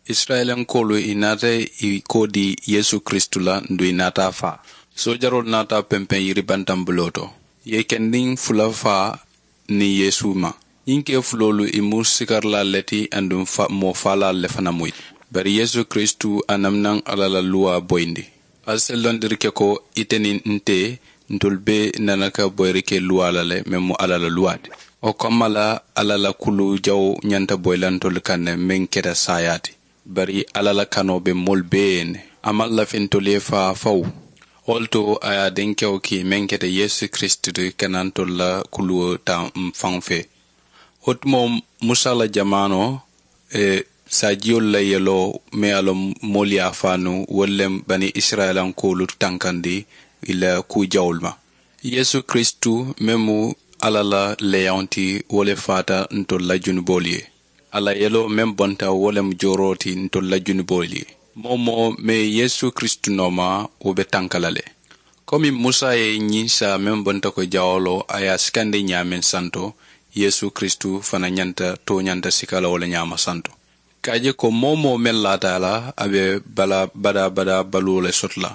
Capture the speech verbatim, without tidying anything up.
Isirayilankoolu i naata i koo dii yeesu kiristu la nduŋ i naata a faa. Soojaroolu naata a pempeŋ yiri bantaŋ buloo to, i ye kendiŋ fula faa niŋ yeesu ma. Ñiŋ kee fuloolu i mu sikarilaalu le ti aduŋ moo faalaalu le fanaŋ mu i ti. Bari yeesu kiristu a naŋ naŋ alla la luwaa boyindi. Ali se londiri ke ko ite niŋ nte ntolu bee nana ka boyiri ke luwaa la le meŋ mu alla la luwaa ti. Wo kamma la alla la kulu jawo ñanta boyi la ntolu kaŋ ne meŋ keta saayaa ti. Bari alla la kanoo be moolu bee ye ne. A maŋ lafi ntolu ye faa fawu. Wo le to a ye a dinkewo kii meŋ keta yeesu kiristu ti ka naa ntolu la kuluwo taa m faŋo fee. Wo tumoo musa la jamaanoo, saajiyolu la yeloo meŋ ye a loŋ moolu ye a faa nuŋ wolu le bani isirayilankoolu tankandi i la kuu jawolu ma. Yeesu kiristu meŋ mu alla la leeyaŋo ti wo le faata ntolu la junuboolu ye. A la yeloo meŋ bonta wo le mu jooroo ti ntolu la junuboolu ye. Moo-wo-moo meŋ ye yeesu kiristu nooma, wo be tanka la le. Komi musa ye ñiŋ saa meŋ bonta ko jawoo lo a ye a sikandi ñaameŋ santo, yeesu kiristu fanaa ñanta tooñanta sika la wo le ñaama santo. Ka a je ko moo-wo-moo meŋ laata a la a be balaa badaa badaa baluwo le soto la.